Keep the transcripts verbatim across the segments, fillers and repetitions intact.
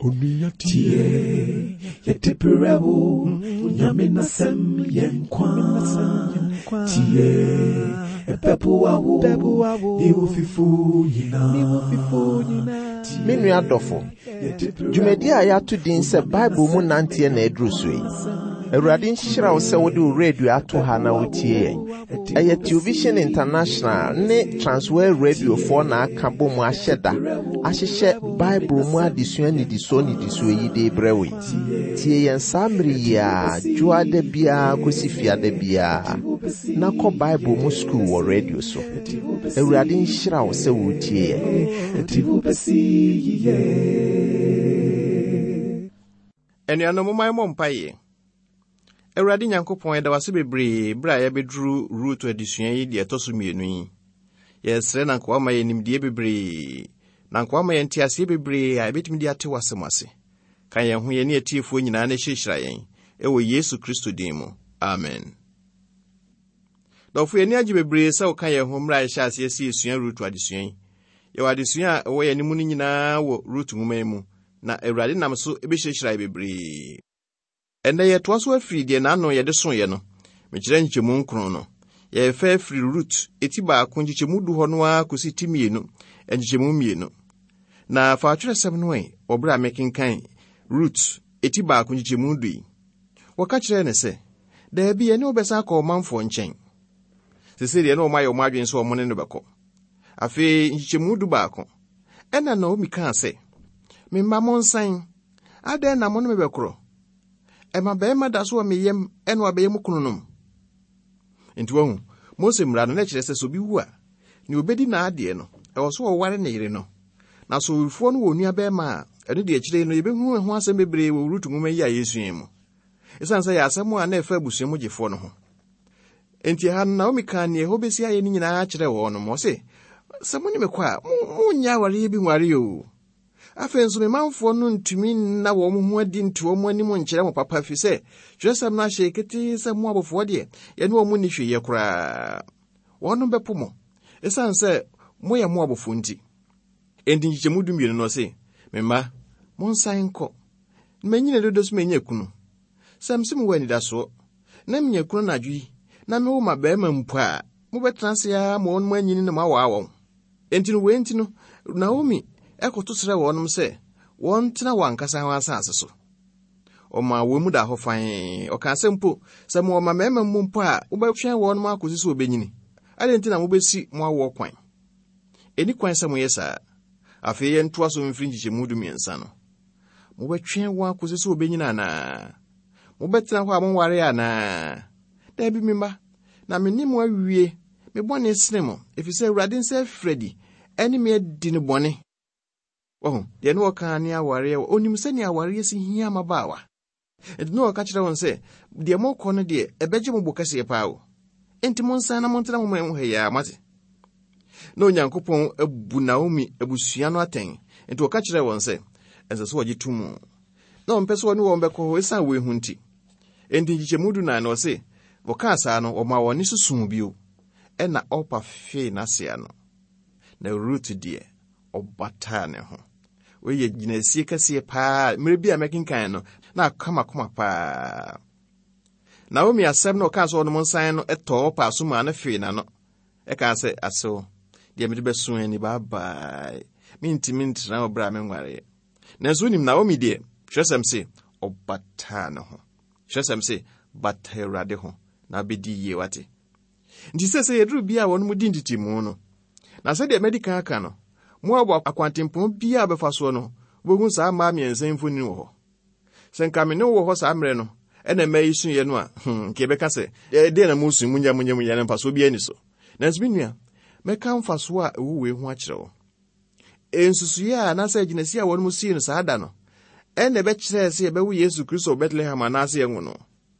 Tie, yɛde brɛ wo, Nyame n'asɛm yɛ nkwa. Tie, ɛbɛboa wo, ne wo fifo nyinaa. Me nua dɔfo, dwumadi a yɛato din sɛ Bible mu nanteɛ na aduru so yi. Awurade nhyira wo sɛ wode wo radio ato ha na wotie yɛn. Ɛyɛ Television International ne Transworld Radiofoɔ na aka bɔ mu ahyɛ da ahyehyɛ Bible mu adesua nnidisoɔ nnidisoɔ yi de brɛ wo yi. Tie yɛn saa mmere yi a dwoada biara kɔsi fiada biara na kɔ Bible mu sukuu wɔ radio so. Awurade nhyira wo sɛ wotie yɛn. Ɛde wo bɛsi yiye. Anuanom, momma yɛmmɔ mpaeɛ. Awurade Nyankopɔn, yɛda wo ase bebree berɛ a yɛabɛduru Rut adesua yi deɛ ɛtɔ so mmienu yi. Yɛsrɛ na nka woama yɛn nimdeɛ bebree, na nka woama yɛn nteaseɛ bebree a yɛbɛtumi de ate w'asɛm ase. Ka yɛn ho, yɛne atiefoɔ nyinaa, na hyirahyira yɛn ɛwɔ Yesu Kristo din mu. Amen. Dɔfo, yɛni agye bebree sɛ woka yɛn ho mmerɛ a yɛhyɛ aseɛ sɛ yɛsua Rut adesua yi. Yɛwɔ adesua a ɛwɔ yɛn anim no nyinaa wɔ Rut nwoma yi mu, na Awurade nam so bɛhyirahyira yɛ bebree. Ɛnnɛ yɛtoa so afiri deɛ n'ano yɛde soeɛ no, mekyerɛ nkyekyɛmu nkron no. Yɛrefa afiri Rut eti baako nkyekyɛmu du hɔ no ara kɔsi ti mmienu nkyekyɛmu mmienu. Na fa atwerɛsɛm no ɛ wɔ berɛ a mekenkan Rut eti baako nkyekyɛmu du yi. Wɔka kyerɛɛ ne sɛ, daabi, ɛne wobɛsan akɔ ɔmanfoɔ nkyɛn. Sesei deɛ ne wɔn ayɛ wɔn adwene sɛ wɔn ne no bɛkɔ. Afei nkyekyɛmu du baako. Ɛna Naomi kaa sɛ, me mma monsan, adɛn na mo ne me bɛkorɔ? Ɛma barima da so wɔ me yam ɛna wabɛyɛ mu kunu nom. Nti wahu, Mose mmara no na kyerɛ sɛ sɛ obi wu a, nea obedi n'adeɛ no, ɛwɔ so wɔware ne yere no. Na sɛ owufoɔ no wɔ onua barima a, ɛno deɛ akyire no yɛbɛhu ho asɛm bebree wɔ Rut nwoma yi a yɛsua yi mu. Ɛsiane sɛ yɛ asɛm a na ɛfa abusua mu gyefoɔ no ho. Enti ɛha no Naomi kaa nea ɛhɔ bɛsi ayɛ no nyinaa kyerɛɛ wɔn nom. Ɔse, sɛ mo ne me kɔ a, monyɛ awareɛ bi nware o. Afei nso me manfoɔ no ntumi nna wɔn ho adi nto wɔn anim nkyerɛ mo papa, fi sɛ twerɛsɛm no ahyɛ ketee sɛ mo abɔfoɔ deɛ, yɛne wɔn nni hwee yɛ koraa. Wɔnom bɛpo mo, ɛsiane sɛ moyɛ mo abɔfoɔ nti. Enti nkyekyɛmu du mmienu no ɔse, me mma, monsan nkɔ. Manyini dodo so manya kunu. Sɛ mse mewɔ anidasoɔ, na menya kunu anadwo yi, na mewo ma barima mpo a, mobɛtena ase ara ma wɔn anyini na moawaa wɔn. Enti no wei nti no, Naomi ɛkɔto srɛ wɔnom sɛ wɔntena wɔn ankasa wɔn asase so. Ɔmaa wɔn mu da hɔ fann. Ɔkaa sɛ mpo, sɛ mowɔ mma mmarima mu mpo a, wobɛtwɛn wɔnom akɔsi sɛ wɔbɛnyini. Adɛn nti na mobɛsi mo awoɔ kwan? Ɛni kwan sɛ moyɛ saa. Afei yɛntoa so mfiri nkyekyɛmu du mmiɛnsa no. Mobɛtwɛn wɔn akɔsi sɛ wɔbɛnyini anaa? Mobɛtena hɔ a monware anaa? Daabi, me mma, na me ne mo awie. Me bɔne sene mo, ɛfiri sɛ Awurade nsa afiri adi ɛne me adi no bɔne. Wahu, deɛ ne wɔka ne awareɛ, onim sɛnea awareɛ si hia mmabaawa. Enti ne wɔka kyerɛ wɔn sɛ, deɛ mokɔ no deɛ, ɛbɛgye mo bo kɛseɛ paa o. Enti monsan na montena mo man mu ha yi ara, moate. Na Onyankopɔn abu Naomi abusua no atɛn. Enti wɔka kyerɛɛ wɔn sɛ, ɛnsɛ sɛ wɔgye to mu. Na wɔmpɛ sɛ wɔne wɔn bɛkɔ hɔ ɛsiane wei ho nti. Enti nkyekyɛmu du nan no ɔse, wɔkaa saa no, wɔmaa wɔn ani so suu bio. Ɛna Orpa fee n'ase ano. Na Rut deɛ, ɔbataa ne ho. Wei yɛ gyinasie kɛseɛ paa. Mmerɛ bi a mɛkenkan no, na aka m'akoma paa. Naomi asɛm na ɔkaa sɛ ɔnom nsan no ɛtɔɔ Orpa so maa no fee n'ano. Ɛkaa sɛ, asew, deɛ mede bɛso ani, baabae. Mentumi ntena wɔ berɛ a menwareɛ. Nanso wonim Naomi deɛ, twerɛsɛm se, ɔbataa ne ho. Twerɛsɛm se, bata Awurade ho, na wobɛdi yie, wate. Nti sɛ sɛ yɛduru bia a wɔn mu di ntetemu no, na sɛdeɛ madi kan aka no, Moab akwantempɔn biara a bɛfa soɔ no, wobɛhu saa mmaa mmiɛnsa mfonini wɔ hɔ. Sɛ nka me ne wo wɔ hɔ saa mmerɛ no, ɛna mmaa yi suiɛ no a, hmm, nka yɛbɛka sɛ, ɛdeɛn na mosu, munya, munya, munya, na mfasoɔ biara ni so. Nanso me nua, mɛka mfasoɔ a ɛwɔ wei ho akyerɛ wo. Nsusuiɛ a anaasɛ agyinasi a wɔn mu sii no saa da no, ɛna ɛbɛkyerɛɛ sɛ yɛbɛwo Yesu Kristo wɔ Bethlehem anaasɛ yɛnwo no.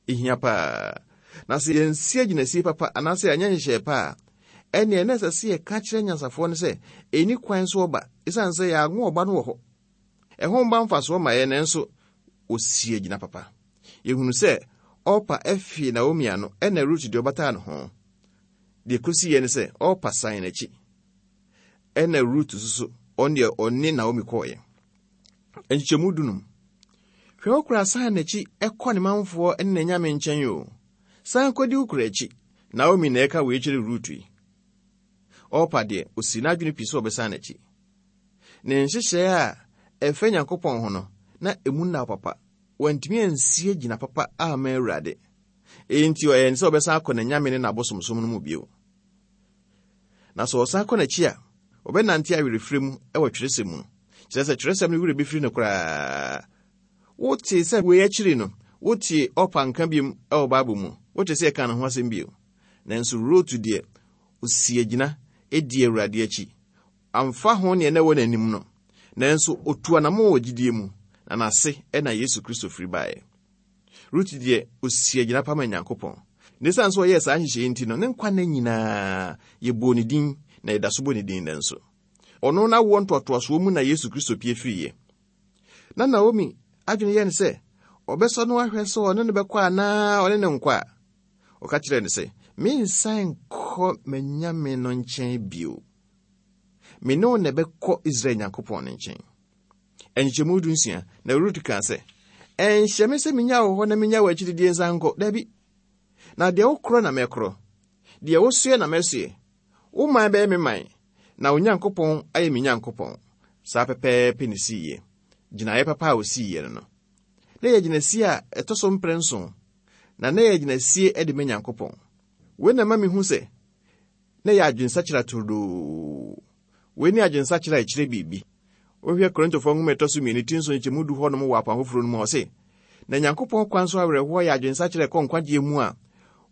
Ɛhia paa. Na sɛ yɛnsi agyinasie papa anaasɛ yɛanyɛ nhyehyɛe pa a, ɛnneɛ na ɛsɛ sɛ yɛka kyerɛ nyansafoɔ no sɛ ɛni kwan so ɔba, ɛsiane sɛ yɛanwo ɔba no wɔ hɔ. Ɛho mba mfasoɔ ma yɛn, nanso ɔsi agyina papa. Yɛhunu sɛ Orpa afie Naomi ano, ɛna Rut deɛ ɔbataa ne ho. Deɛ kɔsiiɛ ne sɛ Orpa san n'akyi. Ɛna Rut nso so, ɔno deɛ ɔne Naomi kɔɔeɛ. Nkyekyɛmu dunum. Hwɛ wo kora san n'akyi ɛkɔ ne manfoɔ ne n'anyame nkyɛn o. San kɔdi wo kora akyi. Naomi na ɛka wei kyerɛ Rut yi. Ɔpa deɛ, osi n'adwene pii sɛ ɔbɛsan n'akyi. Ne nhyehyɛe a ɛfɛ Nyankopɔn ho no, na emu nna papa. Wantumi ansie gyina papa ama Awurade. Enti ɔyɛ ne sɛ ɔbɛsan akɔ n'anyame ne n'abosomsom no mu bio. Na sɛ ɔsan kɔ n'akyi a, ɔbɛnante awerɛfirɛ mu wɔ twerɛsɛm mu. Kyerɛ sɛ twerɛsɛm no werɛ bɛfiri no koraa. Wote sɛ wei akyiri no, wote Ɔpa nka biom wɔ Bible mu. Wote sɛ ɛka ne ho asɛm bio. Nanso Rut deɛ, osi agyina edi Awurade akyi. Amfa ho nea na ɛwɔ n'anim no. Nanso otu anammɔn wɔ gyidie mu, na n'ase ɛna Yesu Kristo firi baeɛ. Rut deɛ, osi agyina pa ma Nyankopɔn. Na esiane sɛ ɔyɛɛ saa nhyehyɛe nti no, ne nkwa nna nyinaa yɛbɔɔ ne din na yɛda so bɔ ne din nnɛ nso. Ɔno n'awoɔ ntoatoasoɔ mu na Yesu Kristo pie firiiɛ. Na Naomi adwene yɛ ne sɛ, ɔbɛsɔ no ahwɛ sɛ ɔne no bɛkɔ anaa ɔne no nkɔ a. Ɔka kyerɛɛ no sɛ, mensan nkɔ m'anyame no nkyɛn bio. Me ne wo na ɛbɛkɔ Israel Nyankopɔn no nkyɛn. Nkyekyɛmu du nsia, na Rut kaa sɛ, ɛnhyɛ me sɛ menya wo hɔ na menya wo akyiridie nsan nkɔ. Dabi. Na deɛ wokorɔ na mɛkorɔ. Deɛ wosoɛ na mɛsoɛ. Wo man bɛyɛ me man, na wo Nyankopɔn ayɛ me Nyankopɔn. Saa pɛpɛɛpɛ ne siiɛ. Gyinaeɛ papa a osiiɛ no no. Na yɛ gyinasie a ɛtɔ so mprɛ nson, na na yɛ gyinasie de ma Nyankopɔn. Wei na ma mehu sɛ na yɛ adwensakyera turodoo. Wei ne adwensakyera a ɛkyerɛ biribi. Wohwɛ Korintofoɔ nwoma ɛtɔ so mmienu ti nson nkyɛmu du hɔnom wɔ apam foforɔ no mu a, ɔse, na Nyankopɔn kwan so awerɛhoɔ yɛ adwensakyera ɛkɔ nkwagyeɛ mu a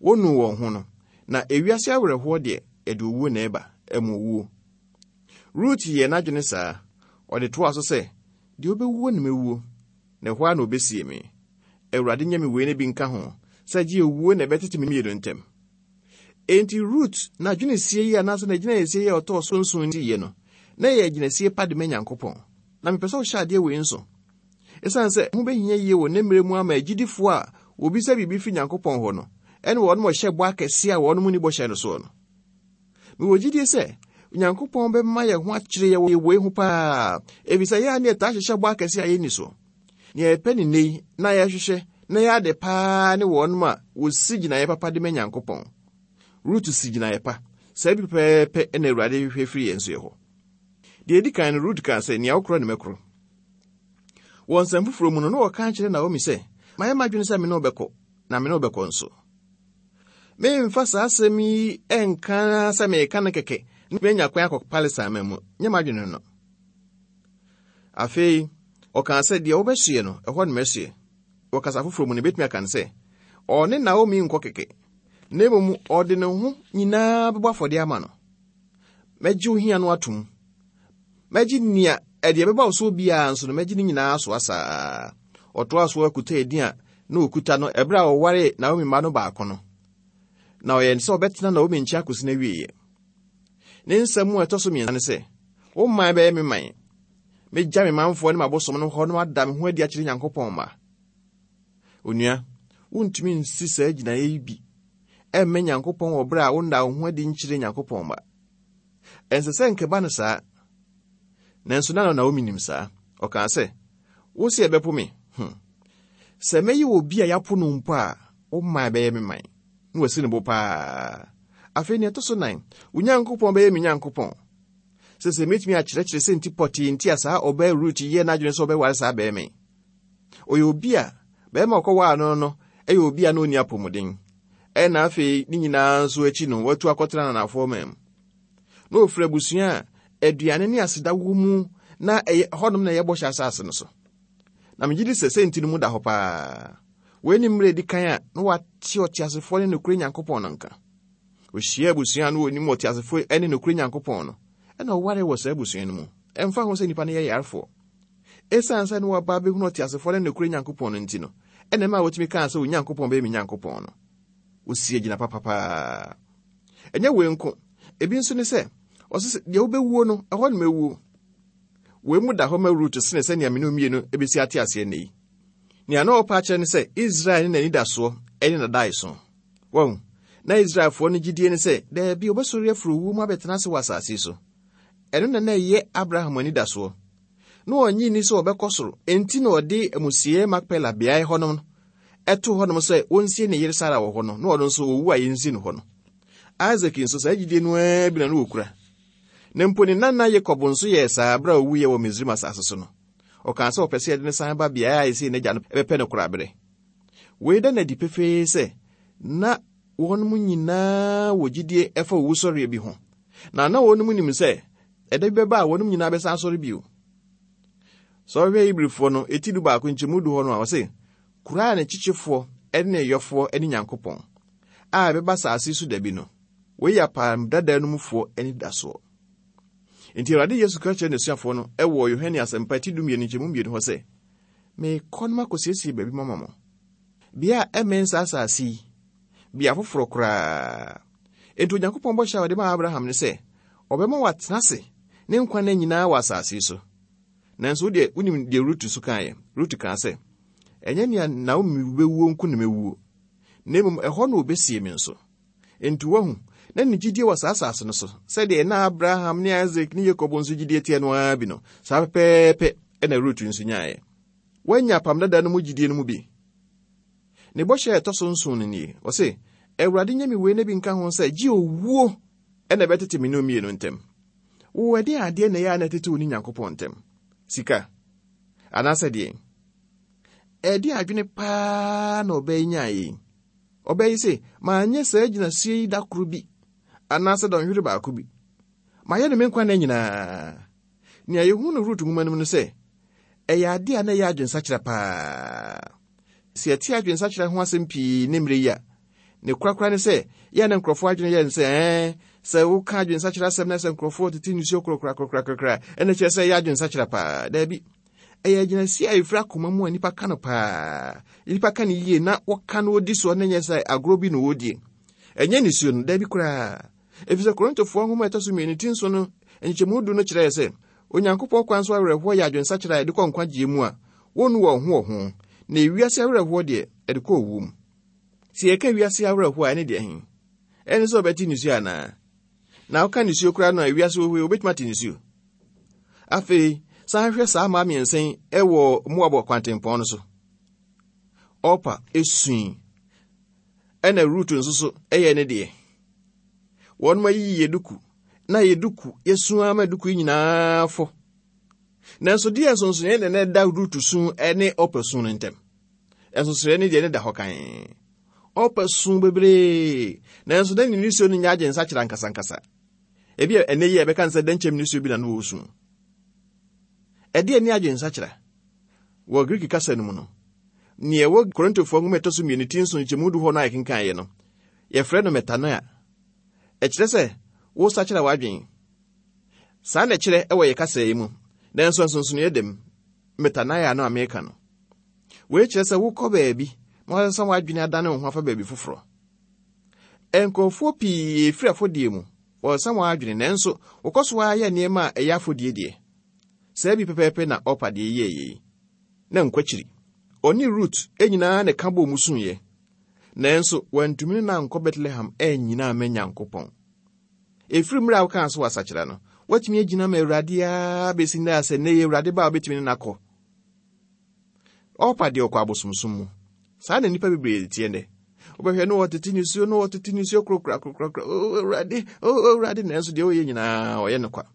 wonu wɔn ho no, na ewiase awerɛhoɔ deɛ, ɛde owuo na ɛba, ɛmu owuo. Rut yɛɛ n'adwene saa. Ɔde toaa so sɛ, deɛ wobɛwuo na mɛwuo, na ɛhɔ ara na obesie me. Awurade nyɛ me wei ne bi nka ho, sɛ gye owuo na ɛbɛtete me mmienu ntam. Enti Rut n'adwenesie yi anaasɛ n'agyinaeɛsie yi a ɔtɔɔ so nson siiɛ no, na ɛyɛ agyinasie pa de ma Nyankopɔn. Na mepɛ sɛ wohyɛ adeɛ wei nso. Esiane sɛ ho bɛhia yie wɔ ne mmerɛ mu ama agyidifoɔ a wɔbisa biribi firi Nyankopɔn hɔ no, ɛne wɔnom ɔhyɛ bɔ akɛseɛ a wɔnom nni bɔhyɛ no soɔ no. Mewɔ gyidie sɛ Nyankopɔn bɛma yɛn ho akyerɛ yɛ wɔ wei ho paa, ɛfiri sɛ yɛa ne yɛtaa hyehyɛ bɔ akɛseɛ a yɛnni soɔ. Nea yɛpɛ ne nnɛ yi na yɛhwehwɛ na yɛ ade paa ne wɔnom a wɔsi gyinaeɛ papa de ma Nyankopɔn. Rut si gyinaeɛ pa. Saa bi pɛpɛɛpɛ na Awurade hwehwɛ firi yɛn nso yɛ hɔ. Deɛ ɛdi kan no, Rut kaa sɛ, nea wokorɔ ne mɛkorɔ. Wɔ nsɛm foforɔ mu no, na wɔka kyerɛ Naomi sɛ, mayɛ m'adwene sɛ me ne wo bɛkɔ, na me ne wo bɛkɔ nso. Memfa saa asɛm yi ɛnka sɛ meka no kɛkɛ na manya kwan akɔ Palestine man mu. Nyɛ m'adwene no. Afei, ɔkaa sɛ deɛ wobɛsoɛ no, ɛhɔ ne mɛsoɛ. Wɔ kasa foforɔ mu no, ebɛtumi aka no sɛ, ɔne Naomi nkɔ kɛkɛ, na mmom ɔde ne ho nyinaa bɛbɔ afɔdeɛ ama no. Mɛgye wo hia no atom. Mɛgye nea ɛdeɛ ɛbɛba wo so biara nso no, mɛgye ne nyinaa so asaa. Ɔtoa so akuta edin a na okuta no ɛberɛ a ɔwaree Naomi mma no baako no. Na ɔyɛ sɛ ɔbɛtena Naomi nkyɛn akɔsi n'awieeɛ. Ne nsɛm a ɛtɔ so mmiɛnsa ne sɛ, wo man bɛyɛ me man. Megya me manfoɔ ne m'abosom no hɔ na mada me ho adi akyerɛ Nyankopɔn mma. Onua, wontumi nsi saa gyinaeɛ yi bi ɛmmɛ Nyankopɔn wɔ berɛ a wonna wo ho adi nkyerɛ Nyankopɔn mma. Ɛnsɛ sɛ nkɛba no saa. Nanso na Naomi nim saa. Ɔkaa sɛ, wo sɛ ɛbɛpo me. Hmm. Sɛ mɛyɛ obi a yɛapo no mpo a, wo man bɛyɛ me man. Na wasi ne bo paa. Afei nea ɛtɔ so nan, wo Nyankopɔn bɛyɛ me Nyankopɔn. Sɛ sɛ mɛtumi akyerɛkyerɛ sɛ nti pɔtee nti a saa ɔbaa Rut yɛɛ n'adwene sɛ ɔbɛware saa bɛrima yi. Ɔyɛ obi a bɛrima a ɔkɔwaa no no ɛyɛ obi a na ɔnni apɔmuden. Ɛna afei ne nyinaa nso akyi no, watu akɔtena nanafoɔ man mu. Na ofiri abusua a aduane ne aseda wɔ mu na ɛyɛ hɔnom na ɛyɛ bɔhyɛ asase no so. Na megye di sɛ sɛ nti no mu da hɔ paa. Wei ne mmerɛ edi kan a na wate ɔteasefoɔ ne nokorɛ Nyankopɔn no nka. Ohyia abusua no wɔnim ɔteasefoɔ ne nokorɛ Nyankopɔn no, ɛna ɔware wɔ saa abusua no mu. Ɛmfa ho sɛ nnipa no yɛ yarefoɔ. Esiane sɛ na waba abɛhunu ɔteasefoɔ ne nokorɛ Nyankopɔn no nti no, ɛna ɛma wɔtumi kaa sɛ Onyankopɔn bɛyɛ me Nyankopɔn no. Osi agyina papapaa. Ɛnyɛ wei nko. Ebi nso ne sɛ, ɔse sɛ deɛ wobɛwuo no, ɛhɔ na mɛwuo. Wei mu da hɔ ma Rut sene sɛnea me ne mmienu ebesi ate aseɛ nnɛ yi. Nea na ɔpa akyerɛ ne sɛ Israel ne n'anidasoɔ ne n'adaeso. Wɔn, na Israelfoɔ no gyidie ne sɛ daabi wɔbɛsɔre afiri owuo mu abɛtena ase wɔ asase so. Ɛno na na ɛyɛ Abraham anidasoɔ. Na ɔnnye nni sɛ ɔbɛkɔ soro, enti na ɔde amusiei Makpela beae hɔnom no ɛto hɔnom sɛ wɔnsie ne yere Sara wɔ hɔ no, na ɔno nso owu a yɛnsie no hɔ no. Isak nso saa gyidie no ara bi na na wɔkura. Na mpo ne nana Yakob nso yɛɛ saa bere a owuiɛ wɔ Misraim asase so no. Ɔkaa sɛ ɔpɛ sɛ yɛde ne san ba beae a ɛsei n'agya no bɛpɛ no korabere. Wei da no adi pefee sɛ na wɔn mu nyinaa wɔ gyidie ɛfa owusɔreɛ bi ho. Na na wɔn mu nim sɛ ɛda bi bɛba a wɔn nyinaa bɛsan asɔre bio. Sɛ ɔhwɛ Hebrifoɔ no eti du baako nkyɛmu du hɔ no a, ɔse kura a ne kyekyefoɔ ne ne yɔfoɔ ne Nyankopɔn a ɛbɛba asase so da bi no, wei yɛ apam dada no mufoɔ anidasoɔ. Enti Awurade Yesu ka kyerɛ n'asuafoɔ no ɛwɔ Yohane Asɛmpa ti du mmienu nkyɛmu mmienu hɔ sɛ, meekɔ no makɔsiesie baabi mama mo. Bea a ɛmmɛn saa asase yi, bea foforɔ koraa. Enti Onyankopɔn bɔhyɛ a ɔde maa Abraham ne sɛ, ɔbɛma watena ase ne nkwa nna nyinaa wɔ asase yi so. Nanso wo deɛ, wonim deɛ Rut so kaeɛ. Rut kaa sɛ, ɛnyɛ nea Naomi bɛwuo nko na mɛwuo, na mmom ɛhɔ na obesie me nso. Enti wahu, na ne gyidie wɔ saa asase no so, sɛdeɛ na Abraham ne Isak ne Yakob nso gyidie teɛ no ara bi no, saa pɛpɛɛpɛ ɛna Rut nso nyaeɛ. Wanya apam dada no mu gyidie no mu bi. Ne bɔhyɛ a ɛtɔ so nson no nie. Ɔse, Awurade nyɛ me wei na bi nka ho sɛ, gye owuo ɛna ɛbɛtete me ne wo mmienu ntam. Wo ɛdeɛn adeɛ na ɛyɛ a na ɛtete wo ne Nyankopɔn ntam? Sika? Anaasɛ deɛn? Ɛdeɛn adwene paa na ɔbaa yi nyaeɛ yi? Ɔbaa yi se, manyɛ saa gyinasie yi da koro bi, anaasɛ dɔnhwere baako bi. Mayɛ no me nkwa nna nyinaa. Nea yɛhu no Rut nwoma no mu no sɛ, ɛyɛ adeɛ a na ɛyɛ adwensakyera paa. Sɛ yɛte adwensakyera ho asɛm pii ne mmerɛ yi a, ne korakora ne sɛ, yɛn ne nkurɔfoɔ adwene yɛ ne sɛ, ɛɛ, sɛ woka adwensakyera asɛm na sɛ nkurɔfoɔ tete nsuo korakorakorakora, ɛna kyerɛ sɛ ɛyɛ adwensakyera paa. Daabi. Ɛyɛ agyinasie a ɛfiri akoma mu a nnipa ka no paa. Nnipa ka no yie na wɔka no wɔdi soɔ na nyɛ sɛ agorɔ bi na wɔdie. Ɛnyɛ nisuo no, daabi koraa. Ɛfiri sɛ Korintofoɔ nwoma a ɛtɔ so mmienu ti nson no nkyɛmu du no kyerɛɛ sɛ, Onyankopɔn kwan so awerɛhoɔ yɛ adwensakyera a ɛde kɔ nkwagyeɛ mu a wɔnnu wɔn ho wɔ ho, na ewiase awerɛhoɔ deɛ ɛde kɔ owuo mu. Sɛ yɛka wiase awerɛhoɔ a ɛne deɛ he? Ɛne sɛ ɔbɛte nisuo anaa? Na woka nisuo koraa no a ewiase wɔ hɔ yi, wobɛtumi ate nisuo. Afei, san hwɛ saa mmaa mmiɛnsa yi ɛwɔ Moab kwantempɔn no so. Orpa esui, ɛna Rut nso so ɛyɛ ne deɛ. Wɔn ayiyi yɛ duku, na yɛ duku yɛsu ama duku yi nyinaa fɔ. Nanso deɛ nsonsonoeɛ na ɛda Rut su ne Orpa su no ntam. Nsonsonoeɛ ne deɛ ne da hɔ kan. Orpa su bebree, nanso na ne nisuo no nyɛ adwensakyera nkasankasa. Ebi a ɛnɛ yi a ɛbɛka sɛ dɛnkyɛm nisuo bi na no wɔ su. Ɛdeɛ ne adwensakyera. Wɔ Greek kasa no mu no, nea ɛwɔ Korintofoɔ nwoma ɛtɔ so mmienu ti nson nkyɛmu du hɔ no a yɛkenkaeɛ no, yɛfrɛ no metanoia. Ɛkyerɛ sɛ wosakyera w'adwene. Saa na ɛkyerɛ ɛwɔ yɛ kasa yi mu, nanso nsonsonoeɛ dɛm metanoia no a meka no. Wei kyerɛ sɛ wokɔ baabi na wasesa w'adwene adane wo ho afa baabi foforɔ. Nkurɔfoɔ pii efiri afɔdie mu, wɔsesa wɔn adwene, nanso wɔkɔ so ara yɛ nneɛma a ɛyɛ afɔdie deɛ. Saa bi pɛpɛɛpɛ na Orpa deɛ yɛɛ yei. Na nkwakyiri. Ɔne Rut nyinaa na ɛka bɔɔ mu suiɛ. Nanso wantumi ne no ankɔ Bethlehem annyina amma Nyankopɔn. Ɛfiri mmerɛ a wokaa so wɔ no, woatumi agyina ma Awurade ara bɛsi nnɛ a sɛ nnɛ yi Awurade ba a wobɛtumi ne no akɔ. Orpa deɛ ɔkɔ abosomsom mu. Saa na nnipa bebree teɛ nnɛ. Wobɛhwɛ no wɔtete nisuo no wɔtete nisuo korakorakorakora. O Awurade, o Awurade, nanso deɛ ɔyɛ nyinaa ɔyɛ no kwa.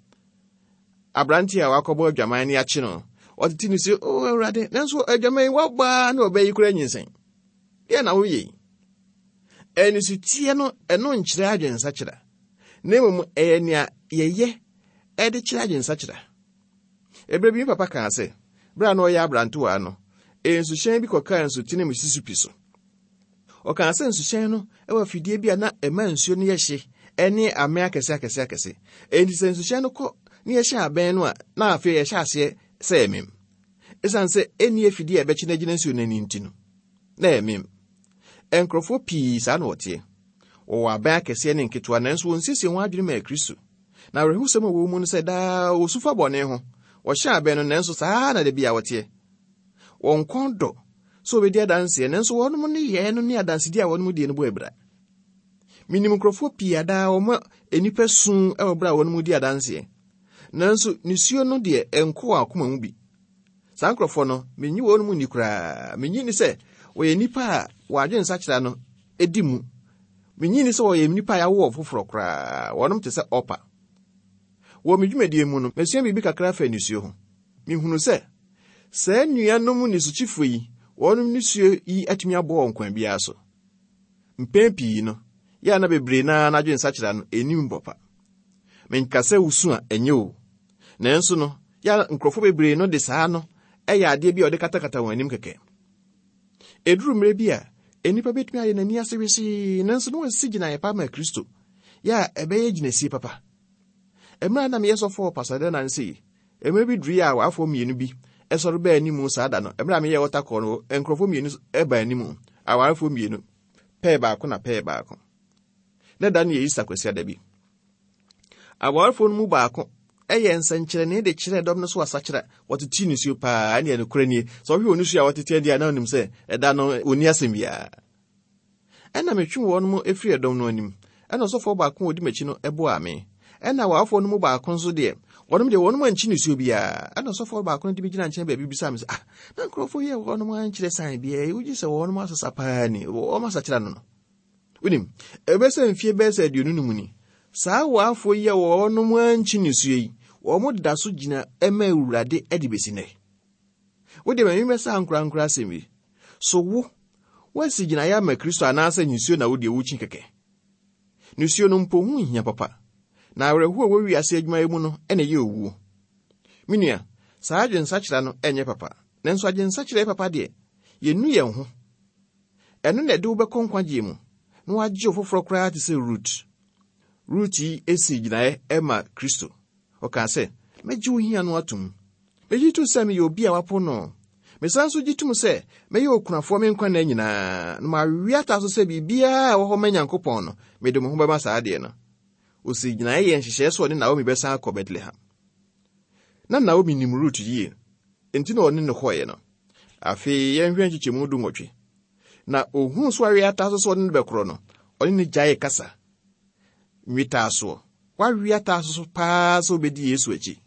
Aberante a wakɔbɔ adwaman ne akye no, ɔtete nisuo, o Awurade, nanso adwaman yi wabaa na ɔbɛyi kora nyinsɛn. Deɛ na woyɛ yi? Anisuteɛ no, ɛno nkyerɛ adwensakyera. Na mmom ɛyɛ nea yɛyɛ ɛde kyerɛ adwensakyera. Ɛberɛ bi me papa kaa sɛ, berɛ a na ɔyɛ aberantewaa no, nsuhyɛn bi kɔkaa nsutene Mississippi so. Ɔkaa sɛ nsuhyɛn no ɛwɔ afidie bi a na ɛma nsuo no yɛ hye ɛne amɛ akɛse akɛse akɛse. Enti sɛ nsuhyɛn no kɔ na yɛhyɛ abɛn no a, na afei yɛhyɛ aseɛ sɛ ɛmem. Ɛsiane sɛ ɛnni afidie a ɛbɛkye no agyina nsuo no ani nti no, na ɛmem. Nkurɔfoɔ pii saa na wɔteɛ. Wɔwɔ abɛn akɛseɛ ne nketewa, nanso wɔnsiesie wɔn adwene ma Kristo. Na awerɛhosɛm a wɔwɔ mu no sɛ daa wɔsu fa bɔne ho. Wɔhyɛ abɛn no, nanso saa na da bi a wɔteɛ. Wɔn kɔn dɔ sɛ wɔbɛdi adanseɛ, nanso wɔnom ne yɛɛ no ne adansedi a wɔnom die no bɔ abira. Minim nkurɔfoɔ pii a daa wɔma nnipa su wɔ berɛ a wɔnom di adanseɛ. Nanso nisuo no deɛ ɛnkɔ wɔn akoma mu bi. Saa nkurɔfoɔ no, menyi wɔn mu nni koraa. Menyi ni sɛ wɔyɛ nnipa a wɔn adwensakyera no di mu. Menyi ni sɛ wɔyɛ nnipa a yɛawo wɔn foforɔ koraa. Wɔnom te sɛ ɔpa. Wɔ me dwumadie mu no, masua biribi kakra afa nisuo ho. Mihunu sɛ saa nnuanom nisukyifoɔ yi, wɔnom nisuo yi atumi aboa wɔn kwan biara so. Mpɛn pii no, yɛ a na bebree naa n'adwensakyera no ɛnim papa. Menka sɛ wosu a ɛnyɛ o. Nanso no, yɛ a nkurɔfoɔ bebree no de saa no ɛyɛ adeɛ bi a ɔde katakata wɔn anim kɛkɛ. Ɛduru mmerɛ bi a, nnipa bɛtumi ayɛ n'ani ase wesee, nanso na wɔasi gyinaeɛ pa ma Kristo, yɛ a ɛbɛyɛ gyinasie papa. Mmerɛ a na meyɛ sɔfoɔ wɔ Pasadena no sei, mmerɛ bi duru a awarefoɔ mmienu bi ɛsɔre baa anim saa da no. Mmerɛ a meyɛ wɔta kɔɔ no, nkurɔfoɔ mmienu ɛbaa anim, awarefoɔ mmienu, pɛɛ baako na pɛɛ baako. Na da no yɛ Easter Kwasiada bi. Awarefoɔ no mu baako ɛyɛ nsɛnkyerɛnne de kyerɛ dɔm no so asakyera, wɔtete nisuo paa, ɛne ɛnokorɛ nie. Sɛ ɔhwɛ onisuo a wɔtete adi a, na onim sɛ ɛda no ɔnni asɛm biara. Ɛna metwe wɔn mu efiri ɛdɔm no anim. Ɛna ɔsɔfoɔ baako a odi m'akyi no ɛboaa me. Ɛna awarefoɔ no mu baako nso deɛ, wɔnom deɛ wɔnom ankyi nisuo biara. Ɛna ɔsɔfoɔ baako no de bi gyina nkyɛn baabi bisa me sɛ, ah, na nkurɔfoɔ yi a wɔnom ankyerɛ sign biara, wogye sɛ wɔnom asesa paa ni, wɔn asakyera no no. Wonim, ɛbɛsɛ mfie bɛyɛ sɛ aduonu no mu ni. Saa awarefoɔ yi a wɔnom ankyi nisuo yi, wɔn da so gyina ɛma Awurade de besi nnɛ. Wode ma memmɛsa ankorankora asɛm yi. So wo, woasi gyinaeɛ ama Kristo anaasɛ nisuo na wodeɛ wokyi kɛkɛ? Nisuo no mpo ho nhia papa. Na awerɛhoɔ a ɛwɔ wiase adwumayɛ mu no ɛna ɛyɛ owuo. Me nua, saa adwensakyera no ɛnyɛ papa. Nanso adwensakyera yɛ papa deɛ, yɛnnu yɛn ho. Ɛno na ɛde wo bɛkɔ nkwagyeɛ mu, na woagye wo foforɔ koraa te sɛ Rut. Rut yi esi gyinaeɛ ɛma Kristo. Ɔkaa sɛ, mɛgye wo hia no atom. Megye tom sɛ meyɛ obi a wapo no. Mesan nso gye tom sɛ mɛyɛ okunafoɔ me nkwa nna nyinaa, na mawe ata so sɛ biribiara a ɛwɔ hɔ ma Nyankopɔn no, mede mo ho bɛma saa adeɛ no. Osi gyinaeɛ yɛ nhyehyɛeɛ sɛ ɔne Naomi bɛsan akɔ Bethlehem. Na Naomi nim Rut yie, enti na ɔne no kɔeɛ no. Afei yɛnhwɛ nkyekyɛmu du nwɔtwe. Na ohuu so awe ata so sɛ ɔne no bɛkorɔ no, ɔne no gyaee kasa. Nwetaa soɔ. Wawe ata so paa sɛ obɛdi Yesu akyi.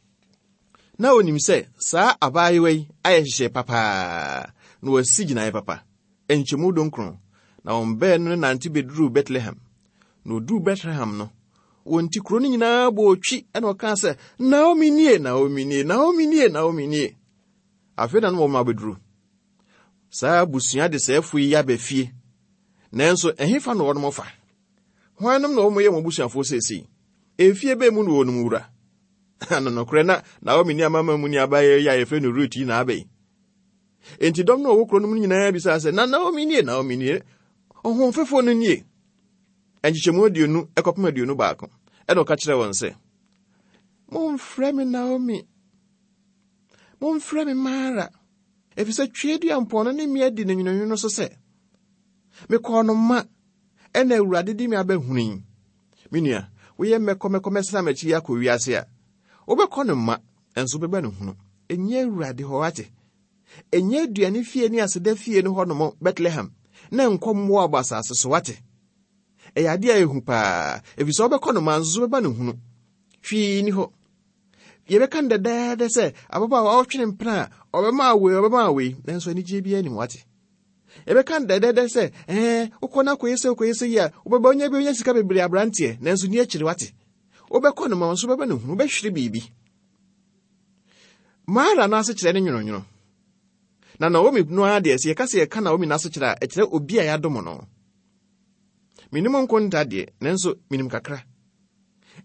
Na onim sɛ saa abaayewa yi ayɛ nhyehyɛe papaa, na wasi gyinaeɛ papa. Nkyɛmu dunkron, na wɔn baanu no nante bɛduruu Bethlehem. Na oduruu Bethlehem no, wɔn ti kuro no nyinaa bɔɔ twi ɛna ɔkaa sɛ, Naomi nie, Naomi nie, Naomi nie, Naomi nie. Afei na no wɔn abɛduru. Saa abusua de sɛɛfo yi aba fie. Nanso ɛhefa na wɔnom fa? Hwannom na wɔn yɛ wɔn abusuafoɔ seesei? Efie bɛn mu na wɔnom wura? Ano nokorɛ na Naomi ne amama mu ne abayewa yi a yɛfrɛ no Rut yi na aba yi. Enti dɔm no a wɔwɔ kuro no mu nyinaa bisaa sɛ, na Naomi nie, Naomi nie, ɔhoɔfɛfoɔ no nie. Nkyekyɛmu aduonu ɛkɔpem aduonu baako. Ɛna ɔka kyerɛɛ wɔn sɛ, momfrɛ me Naomi, momfrɛ me Mara, ɛfiri sɛ Tweaduampɔn no ne me adi no nwononwono so sɛ, mekɔɔ no ma, ɛna Awurade de me abɛhunu yi. Me nua, woyɛ mmɛkɔ mɛkɔ mɛsena m'akyi akɔ wiase a, wobɛkɔ no ma, nso wobɛba no hunu. Ɛnyɛ Awurade hɔ ate. Ɛnyɛ aduane fie ne aseda fie no hɔnom Bethlehem, na nkɔ Moab asase so wate. Ɛyɛ adeɛ a ɛhu paa, ɛfiri sɛ wobɛkɔ no ma nso wobɛba no hunu. Hwee ni hɔ. Yɛbɛka no dɛdɛɛdɛ sɛ ababaawa a ɔtwene mpena a ɔbɛma awei, ɔbɛma awei, nanso anigyeɛ biara nnim wate. Yɛbɛka no dɛdɛɛdɛ sɛ, ɛɛ, wokɔ no akɔyɛ sɛ wokɔyɛ sɛ yi a, wobɛba onya bi onya sika bebree aberanteɛ, nanso ni akyiri wate. Wobɛkɔ no ma nso wobɛba no hunu, wobɛhwere biribi. Mara no ase kyerɛ ne nwononwono. Na Naomi no ara deɛ, sɛ yɛka sɛ yɛka Naomi no ase kyerɛ a, ɛkyerɛ obi a yɛadom no. Menim nkonta deɛ, nanso menim kakra.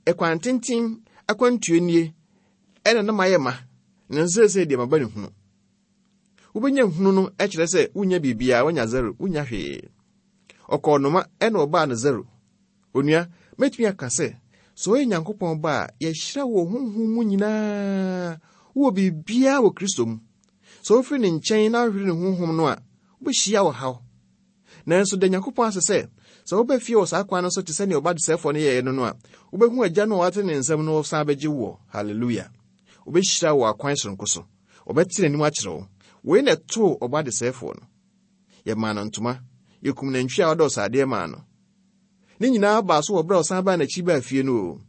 Ɛkwan tenten akwantuo nie, ɛna na mayɛ ma, nanso seesei deɛ maba ne hunu. Wobɛnya hunu no kyerɛ sɛ wonya biribiara, wonya zero, wonya hwee. Ɔkɔɔ noma ɛna ɔbaa no zero. Onua, mɛtumi aka sɛ, sɛ ɔyɛ Nyankopɔn ba a, yɛhyira wɔ honhom mu nyinaa, wowɔ biribiara wɔ Kristo mu. Sɛ wofiri ne nkyɛn na wohwere ne honhom no a, wobɛhyia ɔhaw. Nanso da Nyankopɔn ase sɛ, sɛ woba fie wɔ saa kwan no so te sɛ nea ɔba desɛefoɔ no yɛeɛ no no a, wobɛhu agya no a wate ne nsam no ɔsan bɛgye woɔ. Hallelujah. Wobɛhyira wɔ akwan soronko so. Ɔbɛte n'anim akyerɛ wo. Wei na ɛtoo ɔba desɛefoɔ no. Yɛmaa no ntoma. Yɛkum nantwi a ɔdɔ sradeɛ maa no. Ne nyinaa baa so wɔ berɛ a ɔsan baa n'akyi baa fie no o.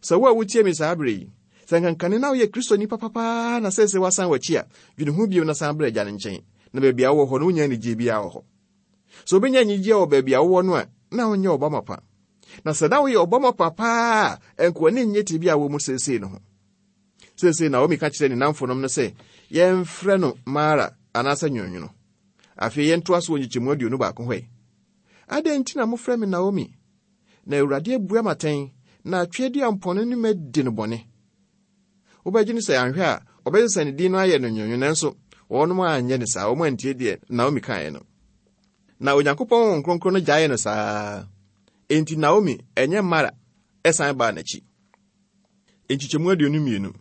Sɛ wo a wotie me saa berɛ yi, Sɛ nkankane na woyɛ Kristoni papapaa na seesei woasan w'akyi a, dwene ho bio na san brɛ agya no nkyɛn. Na baabi a wowɔ hɔ no, wonya anigye biara wɔ hɔ. Sɛ wobɛnya anigye wɔ baabi a wowɔ no a, na wonyɛ ɔba mapa. Na sɛ na woyɛ ɔba mapa paa a, ɛnka w'ani nnye tebea a wɔ mu seesei no ho. Seesei Naomi ka kyerɛ ne namfonom no sɛ, yɛmfrɛ no Mara anaasɛ nwonwono. Afei yɛntoa so wɔ nkyekyɛmu aduonu baako hɔ yi. Adɛn nti na mofrɛ me Naomi? Na Awurade abua m'atɛn, na atweaduampɔno ne madi no bɔne. Wobɛgye no sɛ anhwɛ a, ɔbɛsesa ne din no ayɛ no nwonwono, nanso wɔnom anyɛ ne saa, wɔn antie deɛ Naomi kaeɛ no. Na Onyankopɔn Honhom Kronkron no gyaee no saa. Enti Naomi, ɛnyɛ Mara, ɛsan baa n'akyi. Nkyekyɛmu aduonu mmienu.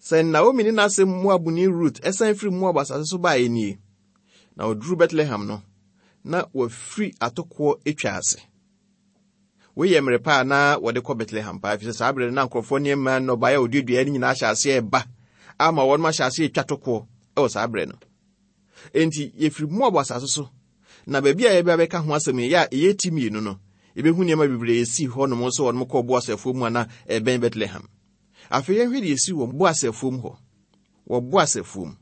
Sɛ Naomi ne n'ase Moabni Rut ɛsan firi Moab asase so baeɛ nie, na ɔduruu Bethlehem no, na wafiri atokoɔ atwa ase. Wei yɛ mmerɛ pa a na wɔde kɔ Bethlehem paa, efisɛ saa berɛ no na nkurɔfoɔ nneɛma nnɔbaeɛ a wɔduaduaeɛ no nyinaa ahyɛ aseɛ ɛba ama wɔnom ahyɛ aseɛ atwa tokoɔ ɛwɔ saa berɛ no. Enti yɛfiri Moab asase so, na baabi a yɛbɛ bɛka ho asɛm yi, yɛ a ɛyɛ ti mmienu no, yɛbɛhu nneɛma bebree esi hɔnom sɛ wɔnom kɔɔ Boas afuo mu a na ɛbɛn Bethlehem. Afei yɛnhwɛ deɛ esi wɔ Boas afuo mu hɔ. Wɔ Boas afuo mu.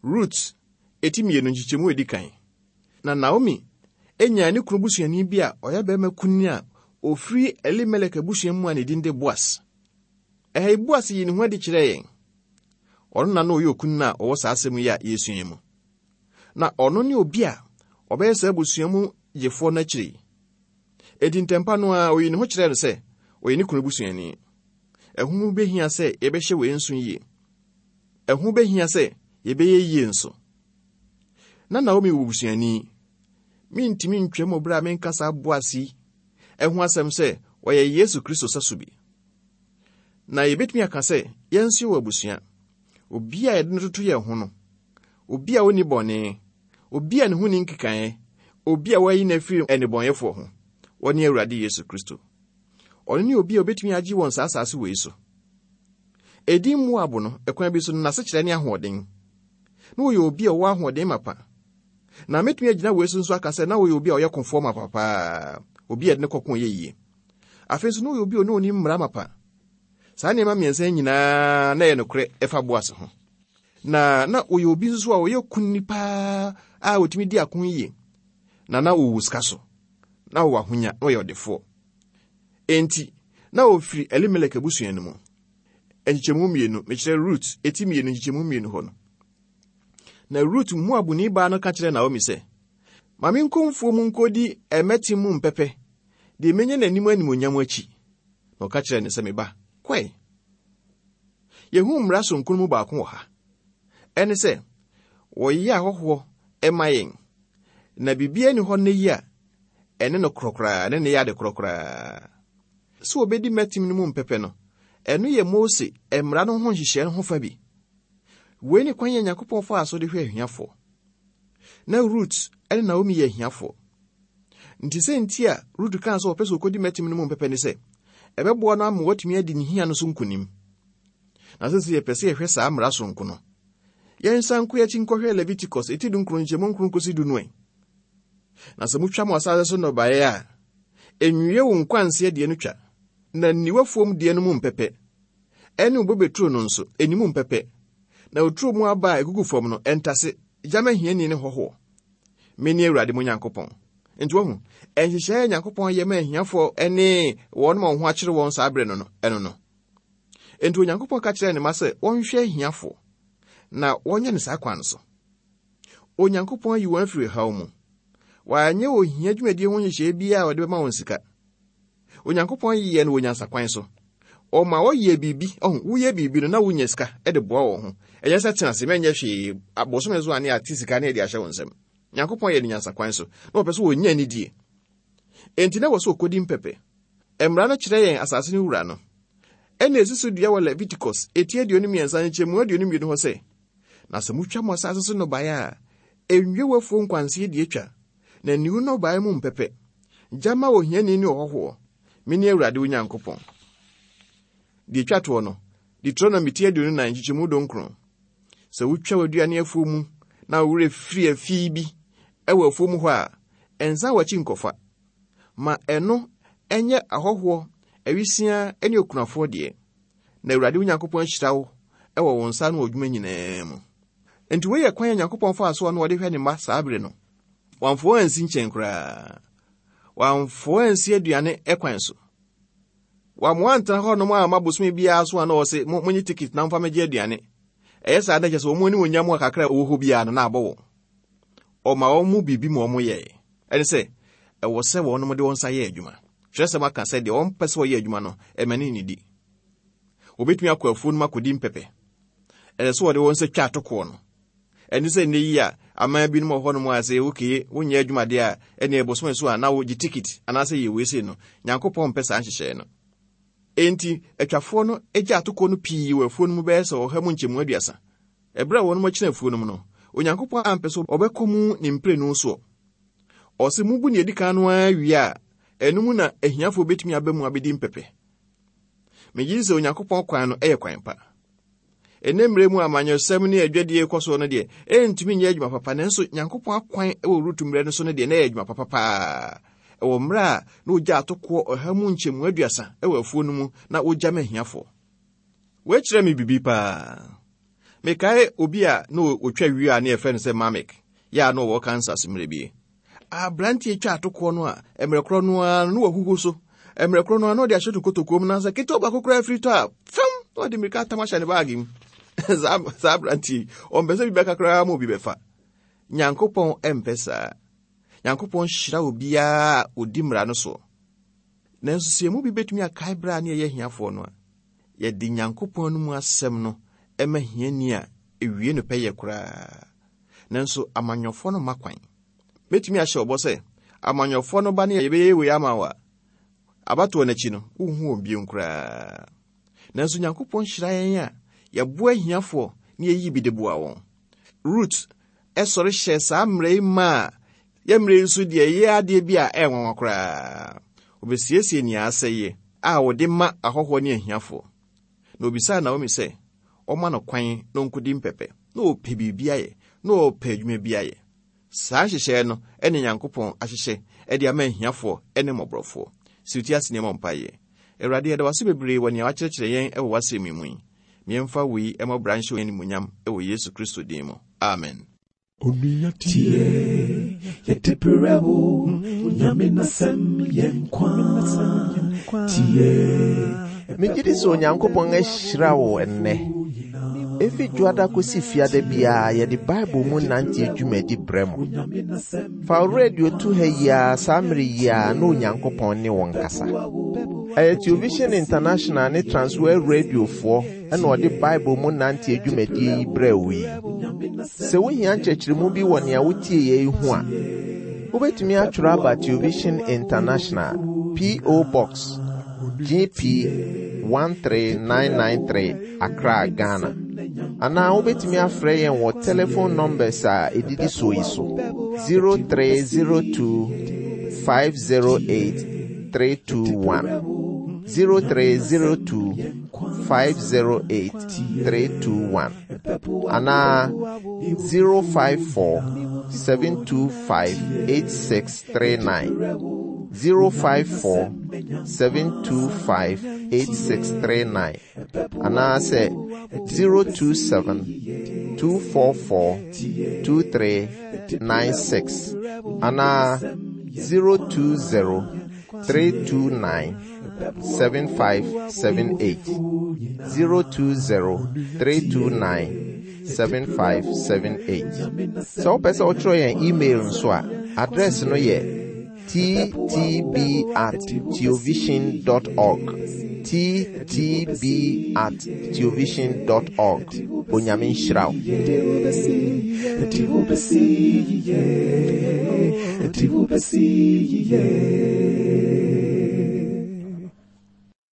Rut eti mmienu nkyekyɛmu edi kan. Na Naomi enya ne kunu busuani bi a ɔyɛ barima kunini a ofiri Elimelek abusua mu a ne din de Boas. Ɛha yi Boas yi ne ho adi kyerɛ yɛn. Ɔno na na ɔyɛ okunini a ɔwɔ saa asɛm yi a yɛsua yi mu. Na ɔno ne obi a ɔbɛyɛ saa abusua mu gyefoɔ no akyire yi. Enti ntɛmpa no a oyi ne ho kyerɛɛ no sɛ ɔyɛ ne kunu busuani. Ɛho bɛhia sɛ yɛbɛhyɛ wei nso yie. Ɛho bɛhia sɛ yɛbɛyɛ yie nso. Na Naomi wɔ busuani. Mentumi ntwam wɔ berɛ a menka saa Boas yi ɛho asɛm sɛ ɔyɛ Yesu Kristo sɛso bi. Na yɛbɛtumi aka sɛ yɛn nso yɛwɔ abusua. Obi a yɛde no toto yɛn ho no, obi a onni bɔne, obi a ne ho nni nkekaeɛ, obi a wɔayi no afiri nnebɔneyɛfoɔ ho, ɔne Awurade Yesu Kristo. Ɔno ne obi a obetumi agye wɔn saa asase wei so. Edin Moab no, ɛkwan bi so no, n'asekyerɛ ne ahoɔden. Na ɔyɛ obi a ɔwɔ ahoɔden mapa. Na metumi agyina wei so nso aka sɛ na ɔyɛ obi a ɔyɛ kofoɔ mapa paa, obi a yɛde ne kɔko yɛ yie. Afei nso na ɔyɛ obi a ɔne onim mmara mapa. Saa nneɛma mmiɛnsa yi nyinaa na ɛyɛ nokorɛ ɛfa Boas ho. Na na ɔyɛ obi nso a ɔyɛ kunini paa a ɔtumi di ako yie. Na na ɔwɔ sika so. Na ɔwɔ ahonya, na ɔyɛ ɔdefoɔ. Enti, na ɔfiri Elimelek abusua no mu. Nkyekyɛmu mmienu, mekyerɛ Rut, eti mmienu nkyekyɛmu mmienu hɔ no. Na Rut Moabni baa no ka kyerɛɛ Naomi sɛ, Ma menkɔ mfuo mu nkɔdi ɛmɛte mu mpɛpɛ, deɛ menya n'anim animuonyam akyi. Na ɔka kyerɛɛ no sɛ, Me ba, kɔe. Yɛhu mmara sononko mu baako wɔ ha. Ɛne sɛ, wɔyɛ ahɔhoɔ ɛma yɛn, na biribiara nni hɔ nnɛ yi a ɛne no korɔ koraa, ɛne ne yɛ ade korɔ koraa. Sɛ wɔbɛdi mmɛtem no mu mpɛpɛ no, ɛno yɛ Mose mmara no ho nhyehyɛe no ho fa bi. Wei ne kwan yɛ Nyankopɔn faa so de hwɛ ahiafoɔ. Na Rut ne Naomi yɛ ahiafoɔ. Nti sɛ nti a Rut kaa sɛ ɔpɛ sɛ ɔkɔdi mmɛtem no mu mpɛpɛ ne sɛ, ɛbɛboa no ama watumi adi ne hia no so nkonim. Na sɛ sɛ yɛpɛ sɛ yɛhwɛ saa mmara sononko no, yɛnsan nkɔ akyi nkɔhwɛ Leviticus eti dunkron nkyɛmu nkron kɔsi du no ɛ. Na sɛ motwa mo asase so nnɔbaeɛ a, enwie wo nkwanseɛ deɛ no twa, na nni w'afuom deɛ no mu mpɛpɛ. Ɛne wo bobeturo no nso, ɛni mu mpɛpɛ. Na oturo mu aba a ɛgugu fam no, ɛntase, gyama hiani ne hɔhoɔ. Mene Awurade mo Nyankopɔn. Nti wahu, nhyehyɛe a Nyankopɔn yɛ ma ahiafoɔ ne wɔn ma wɔn ho akyere wɔn saa berɛ no no, ɛno no. Enti Onyankopɔn ka kyerɛɛ ne mma sɛ wɔnhwɛ ahiafoɔ, na wɔnyɛ no saa kwan no so. Onyankopɔn ayi wɔn afiri haw mu. Wanyɛ ohia dwumadie ho nhyehyɛe biara a ɔde bɛma wɔn sika. Onyankopɔn yɛɛ no wɔ nyansakwan so. Ɔma wɔyɛ biribi, ɔho, woyɛ biribi no na wonya sika de boa wɔn ho. Ɛnyɛ sɛ tena ase mɛnyɛ hwee, abosome so a ne ate sika ne ɛde ahyɛ wɔn nsam. Nyankopɔn yɛ no nyansakwan so, na ɔpɛ sɛ wɔnya anidie. Enti na wɔ sɛ ɔkɔdi mpɛpɛ. Mmara no kyerɛ yɛn asase no wura no. Ɛna esi so dua wɔ Leviticus eti aduonu mmiɛnsa nkyɛmu aduonu mmienu hɔ sɛ, na sɛ motwa mo asase so nnɔbaeɛ a, enwie w'afuo nkwanseɛ deɛ twa, na nni wo nnɔbaeɛ mu mpɛpɛ. Gya ma ohiani ne ɔhɔhoɔ. Mene Awurade wo Nyankopɔn. Deɛ etwa toɔ no, Deuteronomy ti aduonu nan nkyekyɛmu dunkron. Sɛ wotwa w'aduane afuo mu na wo werɛ firi afi bi ɛwɔ afuo mu hɔ a, ɛnsan w'akyi nkɔfa. Ma ɛno ɛnyɛ ahɔhoɔ, awisiaa ne okunafoɔ deɛ. Na Awurade wo Nyankopɔn ahyira wo ɛwɔ wo nsa no adwuma nyinaa mu. Enti wei yɛ kwan a Nyankopɔn faa so a na ɔde hwɛ ne mma saa bere no. Wamfa wɔn ansi nkyɛn koraa. Wamfa wɔn ansi aduane kwan so. Wammoa antena hɔnom a amma bosome biara so a na ɔse monye tikit na momfa mmɛgye aduane. Ɛyɛ saa na kyerɛ sɛ wɔn ani wɔ nyam a kakra a ɛwɔ hɔ biara no na abɔ wɔn. Ɔma wɔn mu biribi ma wɔn yɛe. Ɛne sɛ, ɛwɔ sɛ wɔnom de wɔn nsa yɛ adwuma. Twerɛsɛm aka sɛ deɛ wɔmpɛ sɛ wɔyɛ adwuma no, ɛma ne nnidi. Wɔbɛtumi akɔ afuo no mu akɔdi mpɛpɛ. Ɛsɛ sɛ wɔde wɔn nsa twa atokoɔ no. Ɛne sɛ nnɛ yi a aman binom wɔ hɔnom a sɛ okay, wonyɛ adwuma deɛ a, ɛne bosome so a na wogye tikit anaasɛ yɛ wei sei no. Nyankopɔn mpɛ saa nhyehyɛe no. Enti, atwafoɔ no gya atokoɔ no pii wɔ afuo no mu bɛyɛ sɛ ɔha mu nkyɛmu aduasa. Ɛberɛ a wɔnom akyina afuo no mu no, Onyankopɔn ampɛ sɛ ɔbɛkɔ mu ne mprenu soɔ. Ɔse mubu nea edi kan no ara wie a, ɛno mu na ahiafoɔ bɛtumi aba mu abɛdi mpɛpɛ. Megye di sɛ Onyankopɔn kwan no yɛ kwan pa. Ɛnnɛ mmerɛ mu amanyɔsɛm ne adwadie kɔ soɔ no deɛ, ɛntumi nyɛ adwuma papa, nanso Nyankopɔn akwan wɔ Rut mmerɛ no so no deɛ, na ɛyɛ adwuma papa paa. Ɛwɔ mmerɛ a na ogya atokoɔ ɔha mu nkyɛmu aduasa wɔ afuo no mu na wogya ma ahiafoɔ. Wɔakyerɛ me biribi paa. Mekae obi a na otwa wie a na yɛfrɛ no sɛ Mamek, yɛ a na ɔwɔ Kansas mmerɛ bi. Aberanteɛ twa atokoɔ no a, mmerɛ korɔ no ara no na wahuhu so. Mmerɛ korɔ no ara na ɔde ahyɛ no kotokuo mu na sɛ ketewa baako koraa firi tɔ a, fam na ɔde mmirika atam ahyɛ ne baage mu. Saa saa aberanteɛ yi, ɔmpɛ sɛ bi bɛka koraa ma obi bɛfa. Nyankopɔn mpɛ saa. Nyankopɔn hyira obiara a odi mmara no soɔ. Nanso sɛ emu bi bɛtumi akae berɛ a ne yɛyɛ ahiafoɔ no a, yɛde Nyankopɔn no mu asɛm no ɛma hiani a ewie no pɛyɛ koraa. Nanso amanyɔfoɔ no mma kwan. Mɛtumi ahyɛ ɔbɔ sɛ amanyɔfoɔ no ba ne yɛbɛyɛ wei ama wo a, abatoɔ no akyi no, wonhu wɔn bio koraa. Nanso Nyankopɔn hyira yɛn a yɛboa ahiafoɔ na yɛyi bi de boa wɔn. Rut ɛsɔre hyɛ saa mmerɛ yi ma a yɛ mmerɛ yi nso deɛ ɛyɛ adeɛ bi a ɛyɛ nwanwa koraa. Obɛsiesie nea asɛeɛ a wɔde ma ahɔhoɔ ne ahiafoɔ. Na obisaa Naomi sɛ ɔma no kwan na ɔnkɔdi mpɛpɛ, na ɔpɛ biribi ayɛ, na ɔpɛ adwuma bi ayɛ. Saa nhyehyɛeɛ no ɛne Nyankopɔn ahyehyɛ ɛde ama ahiafoɔ ne mmɔborɔfoɔ. Si wo ti ase nneɛma mpaeɛ. Awurade, yɛda wo ase bebree wɔ nea wakyerɛkyerɛ yɛn ɛwɔ w'asɛm yi mu yi. Miɛmfa wei ɛma bra nhyɛ animuonyam ɛwɔ Yesu Kristo din mu. Amen. Onua tie, yɛde brɛ wo, Onyame n'asɛm yɛ nkwa. Tie, Megye di sɛ Onyankopɔn ahyira wo ɛnnɛ. Efi dwoada kosi fiada biara yɛde Bible mu nante dwumadi brɛ mo. Fa wo radio to ha yi ara saa mmere yi ara na Onyankopɔn ne wo nkasa. Ɛyɛ Television International ne Transworld Radiofoɔ ɛna ɔde Bible mu nante dwumadie yi brɛ wo yi. Sɛ wohia nkyerɛkyerɛmu bi wɔ nea wotie yɛ yi ho a, wobɛtumi atwerɛ aba Television International, P O. Box G P one three nine nine three, Accra, Ghana. Anaa wobɛtumi afrɛ yɛn wɔ telephone numbers a ɛdidi soɔ yi so: zero three zero two five zero eight three two one, zero three zero two five zero eight three two one, anaa zero five four seven two five eight six three nine, zero five four seven two five eight six three nine, anaasɛ zero two seven two four four two three nine six, anaa zero two zero three two nine seven five seven eight, zero two zero three two nine seven five seven eight. Sɛ wopɛ sɛ wotwerɛ yɛn email nso a, address no yɛ T T B at theovision dot org, T T B at theovision dot org. Onyame nhyira wo. Yɛde wo bɛsi, yɛde wo bɛsi yie, yɛde wo bɛsi yie.